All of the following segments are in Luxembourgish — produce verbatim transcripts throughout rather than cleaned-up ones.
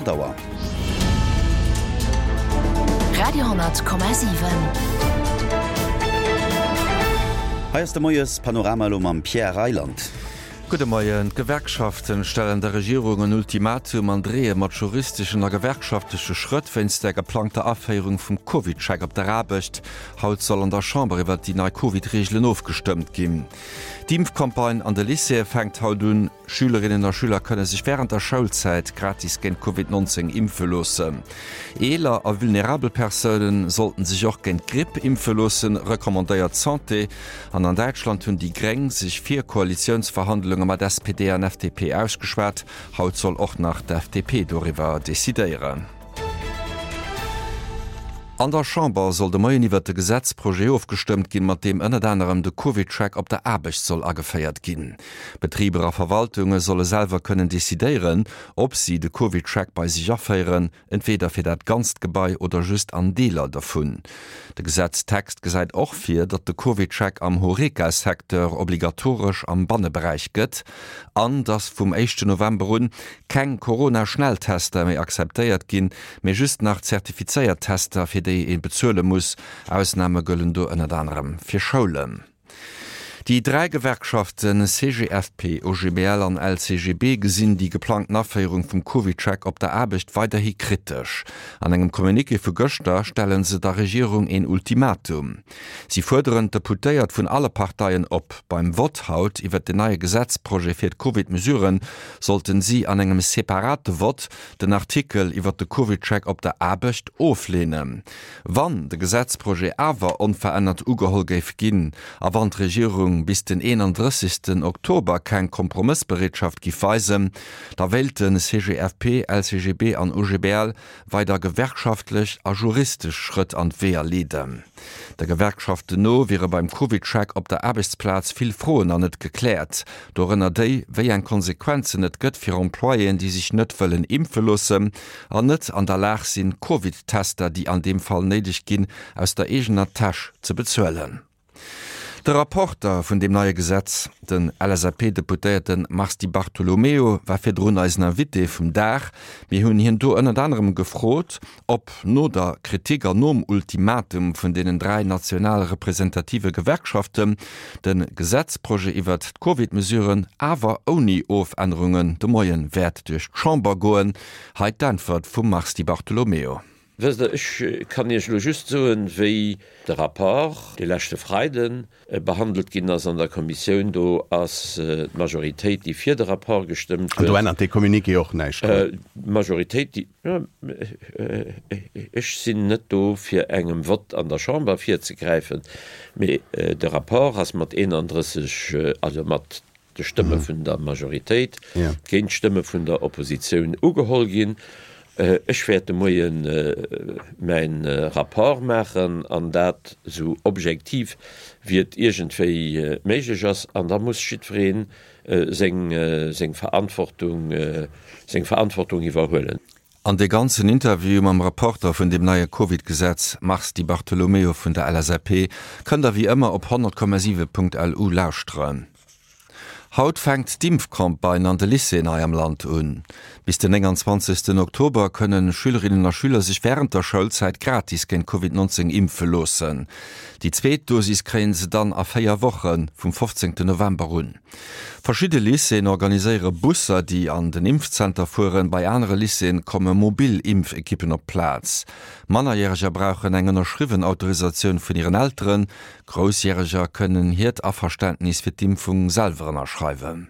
aacht Auer. Radio honnert Komma siwen. Hei ass de Moies-Panorama elo mam Pierre Reyland. Gudde Moien. D'Gewerkschaften stellen der Regierung en Ultimatum an dreeë mat juristeschen a gewerkschaftleche Schrëtt wéinst der geplangter Aféierung vum CovidCheck op der Aarbecht. Haut soll an der Chamber iwwert déi nei Covid-Reegelen ofgestëmmt ginn. D'Impfcampagne an de Lycéeë fänkt haut un. Schülerinnen a Schüler kënne sech wärend der Schoulzäit gratis géint Covid neunzéng impfe loossen. Eeler a vulnerabel Persoune sollten sech och géint d'Gripp impfe loossen, recommandéiert d'Santé. An an Däitschland hunn déi Gréng sech fir Koalitiounsverhandlunge mat S P D an F D P ausgeschwat. Haut soll och nach d'F D P doriwwer decidéieren. An der Chamber soll de Moien iwwert de Gesetzprojet ofgestëmmt ginn, mat deem ënnert anerem de CovidCheck op der Aarbecht soll ageféiert ginn. Betriber a Verwaltunge solle selwer kënnen decidéieren, ob si de CovidCheck bei sech aféieren, entweeder fir dat ganzt Gebai oder just an Deeler dovun. De Gesetztext gesäit och vir, datt de CovidCheck am Horeca-Secteur obligatoresch am Banneberäich gëtt an datt vum éischten November un keng Corona-Schnelltester méi akzeptéiert ginn, mee just nach zertifizéiert Tester, fir déi ee bezuele muss. Ausname gëllen do ënnert anerem fir Schoulen. Déi dräi Gewerkschaften C G F P, O G B L an L C G B gesinn déi geplangten Aféierung vum CovidCheck op der Aarbecht weiderhi kritesch. An engem Communiqué vu gëschter stelle se der Regierung een Ultimatum. Si fuerderen d'Deputéiert vun alle Parteien op. Beim Vott haut iwwer den neie Gesetzprojet fir d'Covid-Mesuren sollten si an engem separate Vott den Artikel iwwer de CovidCheck op der Aarbecht ofleenen. Wann de Gesetzprojet awer onverännert ugeholl géif ginn a wann d'Regierung bis den eenandrëssegsten Oktober keng Kompromëssbereetschaft giff weisen, da wéilten C G F P, L C G B an O G B L weider gewerkschaftlech a juristesch Schrëtt an d'Weeër leeden. Der Gewerkschaften no wiere beim CovidCheck op der Aarbechtsplaz vill Froen nach net gekläert. Dorënner déi, wéi eng Konsequenzen et gëtt fir Employéen, déi sech net wëllen impfe loossen an net an der Lag sinn, Covid-Tester, déi an deem Fall néideg ginn, aus der eegener Täsch ze bezuelen. De Rapporter vun dem neie Gesetz, den L S A P-Deputéierte Mars Di Bartolomeo, war virdrun eisen Invité vum Dag. Mir hunn hien do ënnert anerem gefrot, ob no der Kritik an nom Ultimatum vun deenen dräi national representative Gewerkschaften de Gesetzprojet iwwer d'Covid-Mesuren awer ouni Ofännerungen de Moien wäert duerch d'Chamber goen. Hei d'Äntwert vum Mars Di Bartolomeo. Wësst Der, ech kann Iech elo just soen, wéi de Rapport de leschte Freiden behandelt ginn ass an der Kommissioun. Do ass d'Majoritéit, déi fir de Rapport gestëmmt An do huet. ännert dee Communiqué och näischt dran. D'Majoritéit, déi, ja, ech sinn net do, fir engem Vott an der Chamber virzegräifen, mee de Rapport ass mat eenandrësseg, also mat de Stëmme vun der Majoritéit géint d'Stëmme vun der Oppositioun ugeholl ginn. Ech wäert de Moien mäin Rapport maachen an dat sou objektiv wéi et iergendwéi méiglech ass. An da muss jiddwereen seng, seng Verantwortung, seng Verantwortung iwwerhuelen. An de ganzen Interview mam Rapporter vun dem neie Covid-Gesetz Mars Di Bartolomeo vun der L S A P kënnt der wéi ëmmer op honnert Komma siwe Punkt L U lauschteren. Haut fänkt d'Impfcampagne an de Lycéeën hei am Land un. Bis den neunundzwanzigsten Oktober kënnen Schülerinnen a Schüler sech während der Schoulzäit gratis géint Covid neunzehn impfe loossen. Déi zweet Dosis kréien se dann a véier Wochen vum fofzéngten November un. Verschiedene Lycéeën organiséiere Busser, déi an den Impfzenter fueren. Bei anere Lycéeën komme mobil Impfekippen op Plaz. Mannerjähriger brauchen eng ënnerschriwwen Autorisatioun vun ihren Elteren. Großjähriger kënnen hiert Averständnis fir d'Impfung selwer ënnerschreiwen.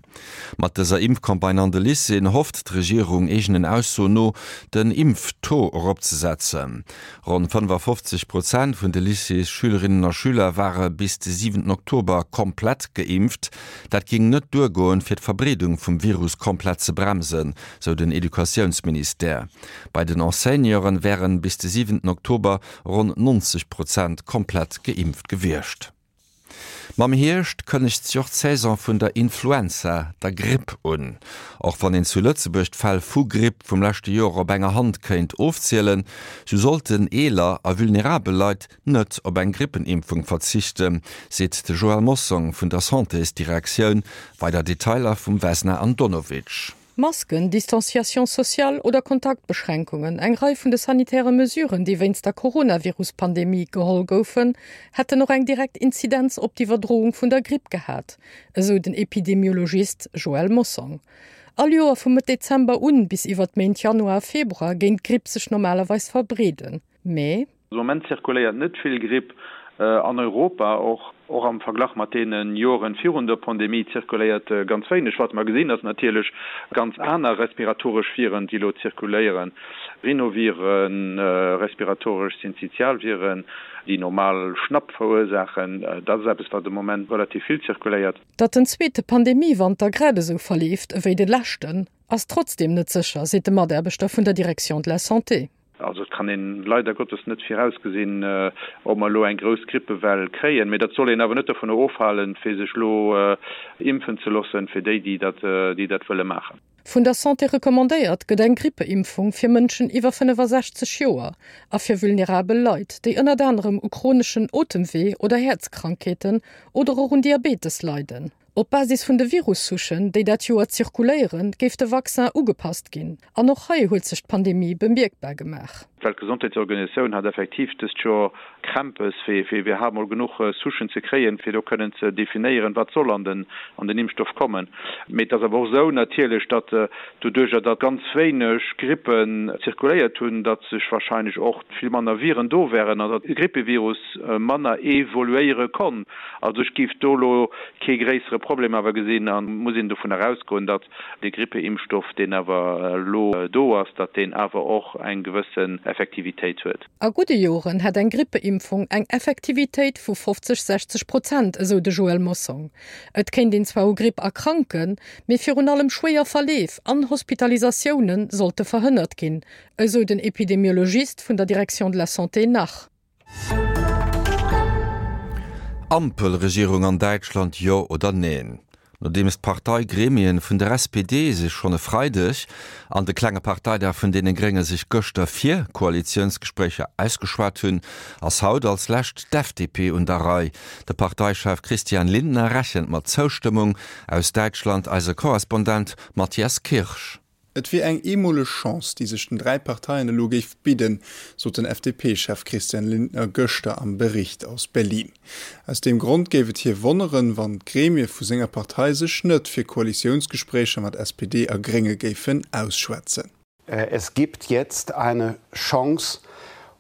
Mat dëser Impfcampagne an de Lycéeën hofft d'Regierung eegenen Aussoen no, den Impftaux eropzesetzen. Ronn fënnefundfünfzig Prozent vun de Lycéesschülerinnen a Schüler ware bis de siwenten Oktober komplett geimpft. Dat ging net duergoen, fir d'Verbreedung vum Virus komplett ze bremsen, sou den Educatiounsministère. Bei den Enseignanten wären bis de siwenten Oktober ronn neunzig Prozent komplett geimpft gewiescht. Mam Hierscht kënnegt sich och d'Saison vun der Influenza, der Gripp un. Och wann een zu Lëtzebuerg d'Fäll vu Gripp vum leschte Joer op enger Hand kéint ofzielen, so sollten eeler a vulnerabel Leit net op eng Grippenimpfung verzichten, seet de Joël Mossong vun der Santésdirektioun. Weider Detailer vum Vesna Andonovic. Masken, Distanciation sociale oder Kontaktbeschränkungen, eng Rei vun de sanitäre Mesuren, déi wéinst der Coronavirus-Pandemie geholl goufen, hätten och eng direkt Inzidenz op d'Iwwerdroung vun der Gripp gehat, esou den Epidemiologist Joël Mossong. All Joer vu Mëtt Dezember un bis iwwer d'Méint Januar a Februar géing d'Gripp sech normalerweis verbreeden, mee. De Moment zirkuléiert net vill Gripp an Europa, och och am Verglach mat deene Joren virun der Pandemie zirkuléiert ganz wéineg. Wat mer gesinn, ass natierlech ganz aner respiratoresch Viren, déi elo zirkuléieren, Rhinoviren, respiratoresch Synzytialviren, déi normal Schnapp verursaachen. Dat ass eppes, wat de Moment relativ vill zirkuléiert. Datt den zweete Pandemie-Wanter grad esou verleeft ewéi de leschten, ass trotzdeem net sécher, seet de Mataarbechter vun der Direction de la Santé. Also et kann een leider Gottes net virausgesinn, ob mer elo eng grouss Grippewell kréien. Mee dat soll een awer net dovunner ofhalen, fir sech elo impfen ze loossen, fir déi, déi dat, déi dat wëlle maachen. Vun der Santé recommandéiert gëtt eng Grippeimpfung fir Mënschen iwwer fënnefasechzeg Joer a fir vulnerabel Leit, déi ënnert anerem u chroneschen Otemwee oder Häerzkrankheeten oder och un Diabetes leiden. Op Basis vun de Virussouchen, déi dat Joer zirkuléieren, géif de Vaccin ugepasst ginn. An och hei huet sech d'Pandemie bemierkbar gemaach. D'Weltgesondheetsorganisatioun hat effektiv dëst Joer Krämpes, fir fir iwwerhaapt mol genuch Souchen ze kréien, fir do kënnen ze definéieren, wat soll an den an den Impfstoff kommen. Mee et ass awer och esou natierlech, datt doduerjer, datt ganz wéineg Grippen zirkuléiert hunn, datt sech wahrscheinlech och vill manner Viren do wären an datt de Grippevirus manner evoluéiere konnt. Also ech géif do elo kee gréissere Problem awer gesinn a muss een dovun erausgoen, datt dee Grippeimpfstoff, deen awer elo do ass, datt deen awer och eng gewëssen Effektivitéit huet. A gudde Joren hätt eng Grippeimpfung eng Effektivitéit vu fofzeg, sechzeg Prozent, esou de Joël Mossong. Et kéint een zwar u Gripp erkranken, mee virun allem schwéier Verleef an Hospitalisatioune sollte verhënnert ginn, esou den Epidemiologist vun der Direction de la Santé nach. Ampelregierung an Däitschland, jo oder neen? Nodeems d'Parteigremien vun der S P D sech schonn e Freideg an de klenge Parteidag vun deene Grénge sech gëschter fir Koalitiounsgespréicher ausgeschwat hunn, ass haut als lescht d'F D P un der Rei. De Parteichef Christian Lindner rechent mat Zoustëmmung. Aus Däitschland eise Korrespondent Matthias Kirsch. Et wier eng eemoleg Chance, déi sech den dräi Parteien elo géif bidden, sot den F D P-Chef Christian Lindner gëschter am Bericht aus Berlin. Aus deem Grond géif et hie wonneren, wann d'Gremie vu senger Partei sech net fir Koalitiounsgespréicher mat S P D a Grénge géifen ausschwätzen. Es gibt jetzt eine Chance,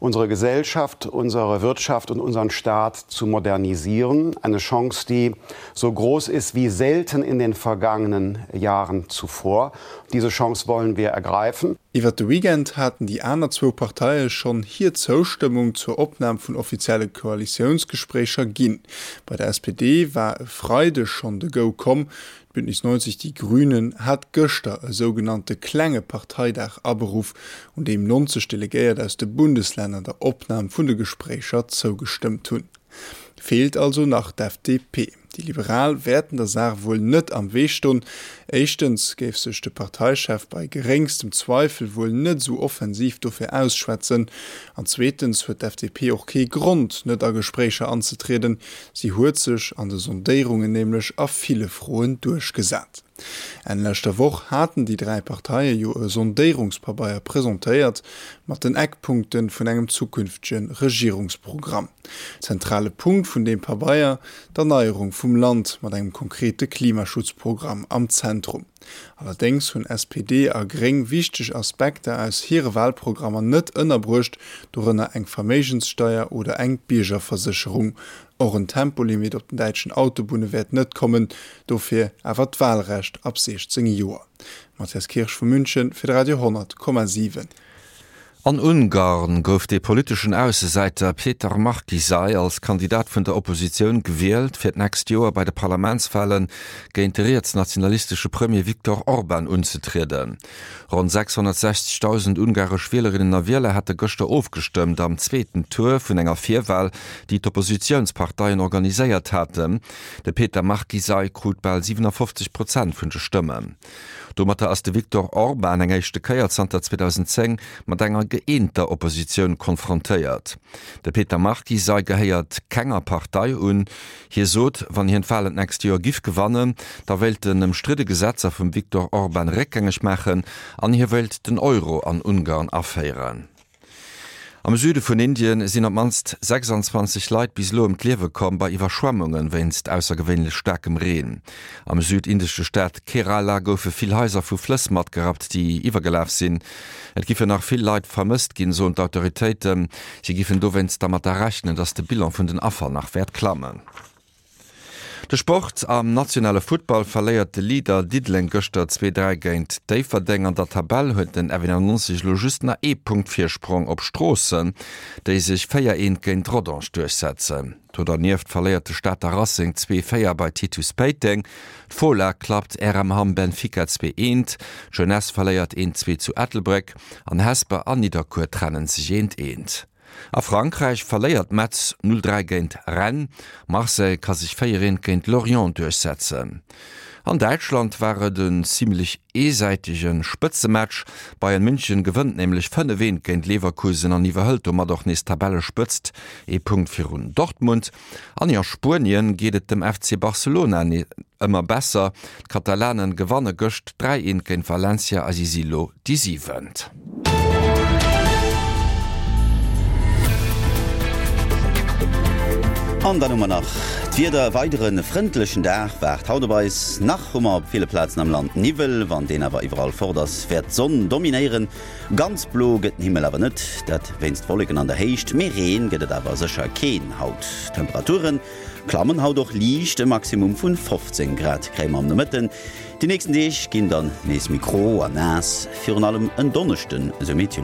unsere Gesellschaft, unsere Wirtschaft und unseren Staat zu modernisieren. Eine Chance, die so groß ist wie selten in den vergangenen Jahren zuvor. Diese Chance wollen wir ergreifen. Iwwer de Weekend haten déi aner zwou Parteie schonn hir Zoustëmmung zur Opnam vun offizielle Koalitiounsgespréicher ginn. Bei der S P D war e Freideg schonn de Go komm. D'Bündnis neunzig Die Grünen hat gëschter e sougenannte klenge Parteidag aberuff, un deem neunzeg Delegéiert aus de Bundeslänner der Opnam vun de Gespréicher zougestëmmt hunn. Feelt also nach d'F D P. Déi Liberal wäerten der Saach wuel net am Wee stoen. Éischtens géif sech de Parteichef bei geréngstem Zweifel wuel net esou offensiv dofir ausschwätzen. An zweetens huet d'F D P och kee Grond, net a Gespréicher anzetrieden. Si huet sech an de Sondéierungen nämlech a ville Froen duerchgesat. Enn leschter Woch haten déi dräi Parteie jo e Sondéierungspabeier presentéiert mat den Eckpunkten vun engem zukünftege Regierungsprogramm. Zentrale Punkt vun deem Pabeier, d'Erneierung vum Land mat engem konkrete Klimaschutzprogramm am Zentrum. Allerdéngs hunn S P D a Gréng wichteg Aspekter aus hire Wahlprogrammer net ënnerbruecht, dorënner eng Verméigenssteier oder eng Biergerversécherung. Och en Tempolimit op den däitschen Autobunne wäert net kommen, dofir awer d'Wahlrecht ab sechzéng Joer. Matthias Kirsch vu München fir de Radio honnert Komma siwen. An Ungarn gouf de politeschen Aussesäiter Péter Márki-Zay als Kandidat vun der Oppositioun gewielt, fir d'nächst Joer bei de Parlamentswahlen géint de rietsnationalistesche Premier Viktor Orbán unzetrieden. Ronn sechshonnertsechzegtausend ungaresch Wielerinnen a Wieler hätte gëschter ofgestëmmt am zweeten Tour vun enger Virwahl, déi d'Oppositiounsparteien organiséiert haten. De Péter Márki-Zay krut bal siewenundfünfzig Prozent vun de Stëmmen. Domatter ass de Viktor Orbán eng éischte Kéier zanter zweetausendzéng mat enger gëeenter Oppositioun konfrontéiert. De Péter Márki-Zay gehéiert kenger Partei un. Hie sot, wann hien d'Walen d'nächst Joer giff gewannen, da wéilt en ëmstridde Gesetzer vum Viktor Orbán réckgängeg maachen an hie wéilt den Euro an Ungarn aféieren. Am Süde vun Indien sinn op d'mannst sechsanzwanzeg Leit bis elo ëm d'Liewe komm bei Iwwerschwemmunge wéinst aussergewéinlech staarkem Reen. Am südindesche Staat Kerala goufe vill Haiser vu Flëss matgerappt, déi iwwergelaf sinn. Et giffen nach vill Leit vermësst ginn, soen d'Autoritéiten. Si giffen dowéinst dermatter rechnen, datt de Bilan vun den Affer nach wäert klammen. De Sport, Am nationale Futtball verléiert de Leader Diddeleng gëschter zwee, dräi géint Déifferdeng. An der Tabell huet den F eenannonzeg elo just nach ee Punkt Virsprong op Stroossen, déi sech véier, eent géint Rodange duerchsetzen. Do dernieft verléiert de Stater Racing zwee, véier bei Titus Péiteng. D'Fola klappt R M Hamm Benfica zwee, eent, d'Jeunesse verléiert eent, zwee zu Ettelbréck an Hesper an Nidderkuer trennen sech eent, eent. A Frankräich verléiert Metz null dräi géint Rennes, Marseille ka sech véier eent géint Lorient duerchsetzen. An Däitschland war et en zimmlech eesäitege Spëtzematch. Bayern München gewënnt nämlech fënnef eent géint Leverkusen an iwwerhëlt domat och nees d'Tabellespëtzt, ee Punkt virun Dortmund. An a Spuenien geet et dem F C Barcelona ëmmer besser. D'Katalanen gewanne gëscht dräi eent géint Valencia a si si lo déi Siwent. An dann hu mer nach d'Wieder, E weidere frëndlechen Dag waart haut op eis. Nach hu mer op ville Plazen am Land Niwwel, wann deen awer iwwerall fort ass, wäert d'Sonn dominéieren. Ganz blo gëtt den Himmel awer net, dat wéinst Wolleken an der Héicht, mee Reen gëtt et awer sécher keen haut. D'Temperature klammen haut och liicht, e Maximum vun fofzéng Grad kréie mer am Nomëtten. Déi nächsten Deeg ginn dann nees méi gro a naass, virun allem en Donneschden, esou Meteolux.